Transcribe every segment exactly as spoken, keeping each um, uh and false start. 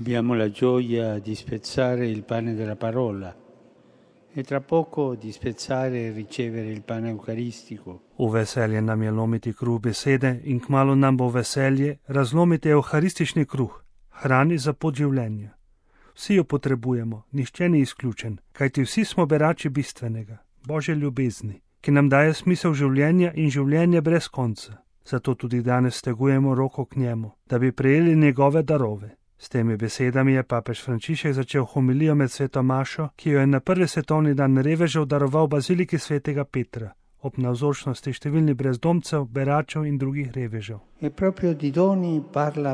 Abbiamo la gioia di spezzare il pane della parola e tra poco di spezzare e ricevere il pane eucaristico. V veselje nam je lomiti kruh besede in kmalu nam bo veselje razlomiti euharistični kruh, hrani za pot življenja. Vsi jo potrebujemo, nihče ni izključen, kajti vsi smo berači bistvenega, Božje ljubezni, ki nam daje smisel življenja in življenje brez konca. Zato tudi danes stegujemo roko k njemu, da bi prejeli njegove darove. S temi besedami je papež Frančišek začel homilijo med sveto mašo, ki jo je na prvi svetovni dan revežev daroval baziliki svetega Petra, ob navzočnosti številnih brezdomcev, beračev in drugih revežev. E proprio di doni parla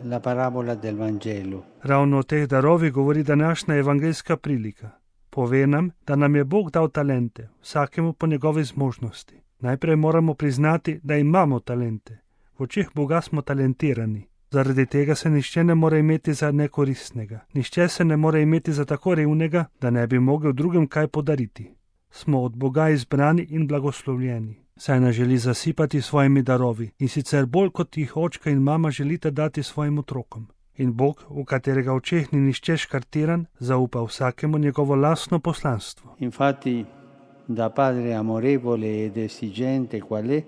la parabola del Vangelo. Ravno o teh darovih govori današnja evangeljska prilika. Pove nam, da nam je Bog dal talente, vsakemu po njegovi zmožnosti. Najprej moramo priznati, da imamo talente. V očeh Boga smo talentirani. Zaradi tega se nišče ne more imeti za nekoristnega. Nišče se ne more imeti za tako revnega, da ne bi mogel drugim kaj podariti. Smo od Boga izbrani in blagoslovljeni. Saj nas želi zasipati svojimi darovi in sicer bolj kot jih očka in mama želite dati svojim otrokom. In Bog, v katerega očeh ni nišče škartiran, zaupa vsakemu njegovo lastno poslanstvo. Infatti, da padre amorevole ed esigente qual è,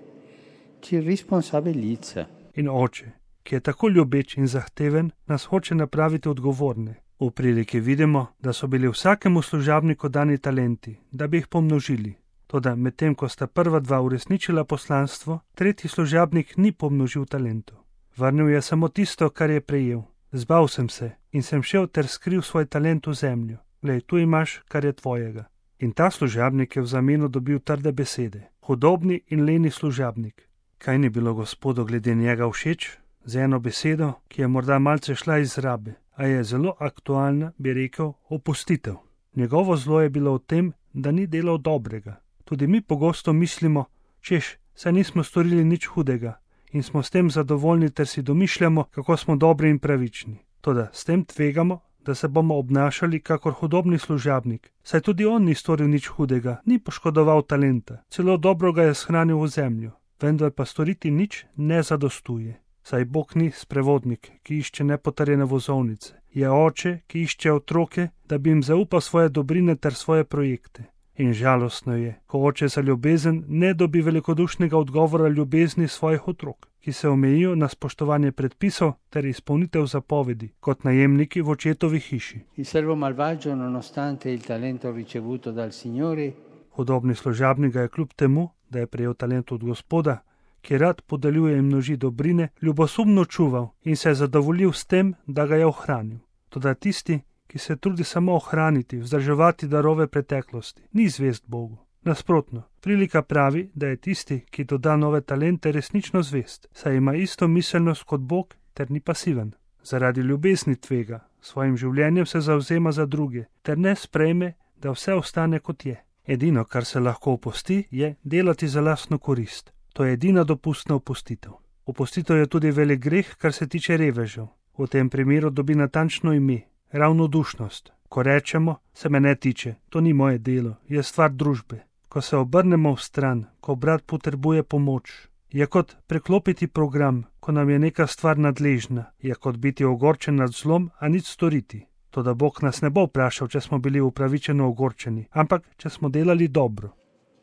ci responsabilizza. In oče, ki je tako ljubeč in zahteven, nas hoče napraviti odgovorne. V priliki vidimo, da so bili vsakemu služabniku dani talenti, da bi jih pomnožili. Toda medtem, ko sta prva dva uresničila poslanstvo, tretji služabnik ni pomnožil talentov. Vrnil je samo tisto, kar je prejel. Zbal sem se in sem šel ter skril svoj talent v zemljo. Glej, tu imaš, kar je tvojega. In ta služabnik je v zameno dobil trde besede. Hudobni in leni služabnik. Kaj ni bilo Gospodu glede njega všeč? Z eno besedo, ki je morda malce šla iz rabe, a je zelo aktualna, bi rekel, opustitev. Njegovo zlo je bilo v tem, da ni delal dobrega. Tudi mi pogosto mislimo, češ, saj nismo storili nič hudega in smo s tem zadovoljni ter si domišljamo, kako smo dobri in pravični. Toda s tem tvegamo, da se bomo obnašali kakor hudobni služabnik, saj tudi on ni storil nič hudega, ni poškodoval talenta, celo dobro ga je shranil v zemljo, vendar pa storiti nič ne zadostuje. Saj Bog ni sprevodnik, ki išče nepotrjene vozovnice. Je oče, ki išče otroke, da bi jim zaupal svoje dobrine ter svoje projekte. In žalostno je, ko oče za ljubezen ne dobi velikodušnega odgovora ljubezni svojih otrok, ki se omejijo na spoštovanje predpisov ter izpolnitev zapovedi, kot najemniki v očetovi hiši. Il servo malvagio, nonostante il talento ricevuto dal Signore, Hudobni služabnik ga je kljub temu, da je prejel talent od Gospoda, ki rad podeljuje in množi dobrine, ljubosumno čuval in se je zadovoljil s tem, da ga je ohranil. Toda tisti, ki se trudi samo ohraniti, vzdrževati darove preteklosti, ni zvest Bogu. Nasprotno, prilika pravi, da je tisti, ki doda nove talente, resnično zvest, saj ima isto miselnost kot Bog ter ni pasiven. Zaradi ljubezni tvega, svojim življenjem se zavzema za druge, ter ne sprejme, da vse ostane kot je. Edino, kar se lahko opusti, je delati za lastno korist. To je edina dopustna opustitev. Opustitev je tudi velik greh, kar se tiče revežev. V tem primeru dobi natančno ime, ravnodušnost. Ko rečemo, se me ne tiče, to ni moje delo, je stvar družbe. Ko se obrnemo v stran, ko brat potrebuje pomoč, je kot preklopiti program, ko nam je neka stvar nadležna, je kot biti ogorčen nad zlom, a nič storiti. Toda Bog nas ne bo vprašal, če smo bili upravičeno ogorčeni, ampak če smo delali dobro.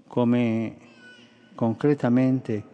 come concretamente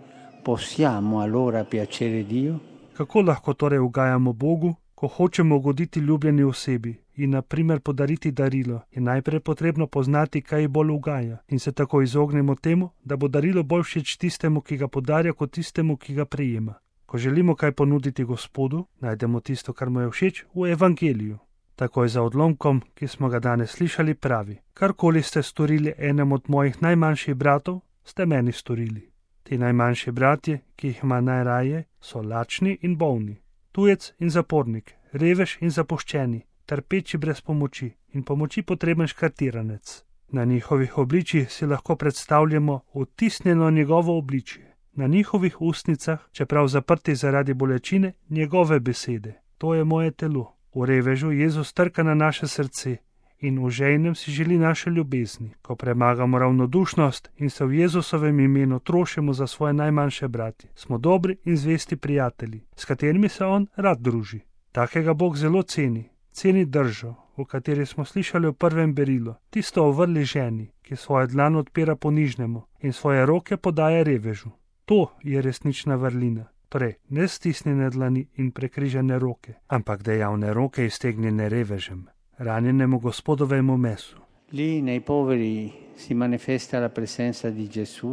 possiamo allora piacere Dio? Kako lahko torej ugajamo Bogu, ko hočemo ugoditi ljubljeni osebi in na primer podariti darilo, je najprej potrebno poznati, kaj ji bolj ugaja in se tako izognemo temu, da bo darilo bolj všeč tistemu, ki ga podarja, kot tistemu, ki ga prejema. Ko želimo kaj ponuditi Gospodu, najdemo tisto, kar mu je všeč, v evangeliju. Takoj za odlomkom, ki smo ga danes slišali, pravi: karkoli ste storili enem od mojih najmanjših bratov, ste meni storili. Ti najmanjši bratje, ki jih ima najraje, so lačni in bolni, tujec in zapornik, revež in zapuščeni, trpeči brez pomoči in pomoči potreben škartiranec. Na njihovih obličjih si lahko predstavljamo vtisnjeno njegovo obličje. Na njihovih ustnicah, čeprav zaprti zaradi bolečine, njegove besede: to je moje telo. V revežu Jezus trka na naše srce in v žejnem si želi naše ljubezni. Ko premagamo ravnodušnost in se v Jezusovem imenu trošimo za svoje najmanjše bratje, smo dobri in zvesti prijatelji, s katerimi se on rad druži. Takega Bog zelo ceni, ceni držo, o kateri smo slišali v prvem berilu, tisto o vrli ženi, ki svojo dlan odpira ponižnemu in svoje roke podaja revežu. To je resnična vrlina, torej ne stisnjene dlani in prekrižene roke, ampak dejavne roke iztegnjene revežem, ranjenemu Gospodovemu mesu. Lì nei poveri si manifesta la presenza di Gesù,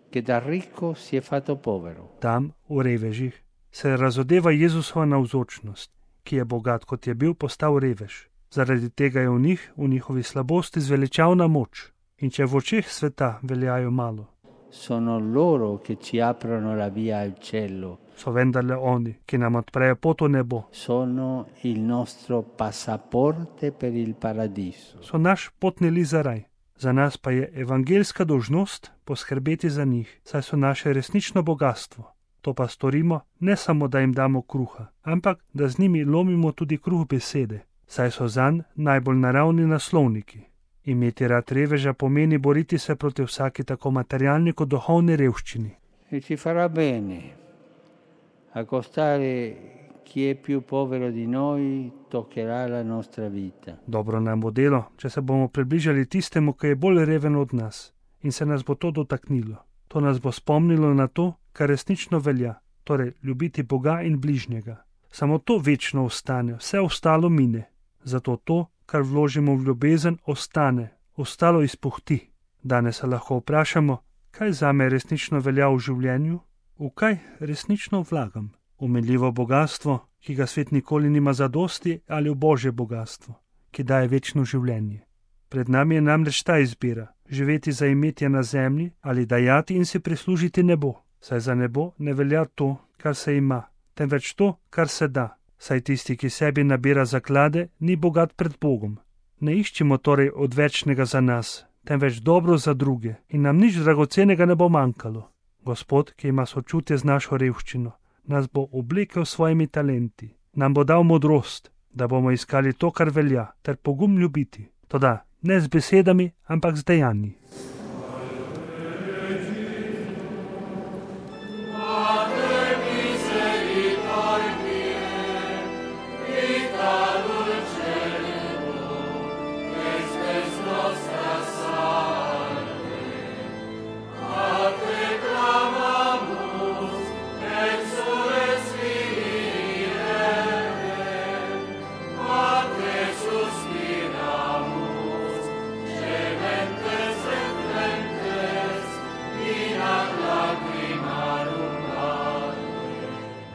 che da ricco si è fatto povero. Tam, v revežih, se razodeva Jezusova navzočnost, ki je bogat, kot je bil, postal revež. Zaradi tega je v njih, v njihovi slabosti zveličavna moč. In če v očeh sveta veljajo malo, Sono loro che ci aprono la via al cielo. so vendarle oni, ki nam odprejo pot v nebo. Sono il nostro passaporte per il paradiso. So naš potni list za raj. Za nas pa je evangeljska dolžnost poskrbeti za njih, saj so naše resnično bogatstvo. To pa storimo ne samo, da jim damo kruha, ampak da z njimi lomimo tudi kruh besede, saj so zanj najbolj naravni naslovniki. Imeti rad reveža pomeni boriti se proti vsaki tako materialni kot duhovni revščini. E ci farà bene accostare chi è più povero di noi, toccherà la nostra vita. Dobro nam bo delo, če se bomo približali tistemu, ki je bolj reven od nas, in se nas bo to dotaknilo. To nas bo spomnilo na to, kar resnično velja, torej ljubiti Boga in bližnjega. Samo to večno ostane, vse ostalo mine. Zato to, kar vložimo v ljubezen, ostane, ostalo izpuhti. Danes se lahko vprašamo, kaj zame resnično velja v življenju, v kaj resnično vlagam. Umenljivo bogatstvo, ki ga svet nikoli nima zadosti, ali v Božje bogatstvo, ki daje večno življenje. Pred nami je namreč ta izbira, živeti za imetje na zemlji ali dajati in si prislužiti nebo. Saj za nebo ne velja to, kar se ima, temveč to, kar se da. Saj tisti, ki sebi nabira zaklade, ni bogat pred Bogom. Ne iščimo torej odvečnega za nas, temveč dobro za druge in nam nič dragocenega ne bo manjkalo. Gospod, ki ima sočutje z našo revščino, nas bo oblekel s svojimi talenti, nam bo dal modrost, da bomo iskali to, kar velja, ter pogum ljubiti. Toda ne z besedami, ampak z dejanji.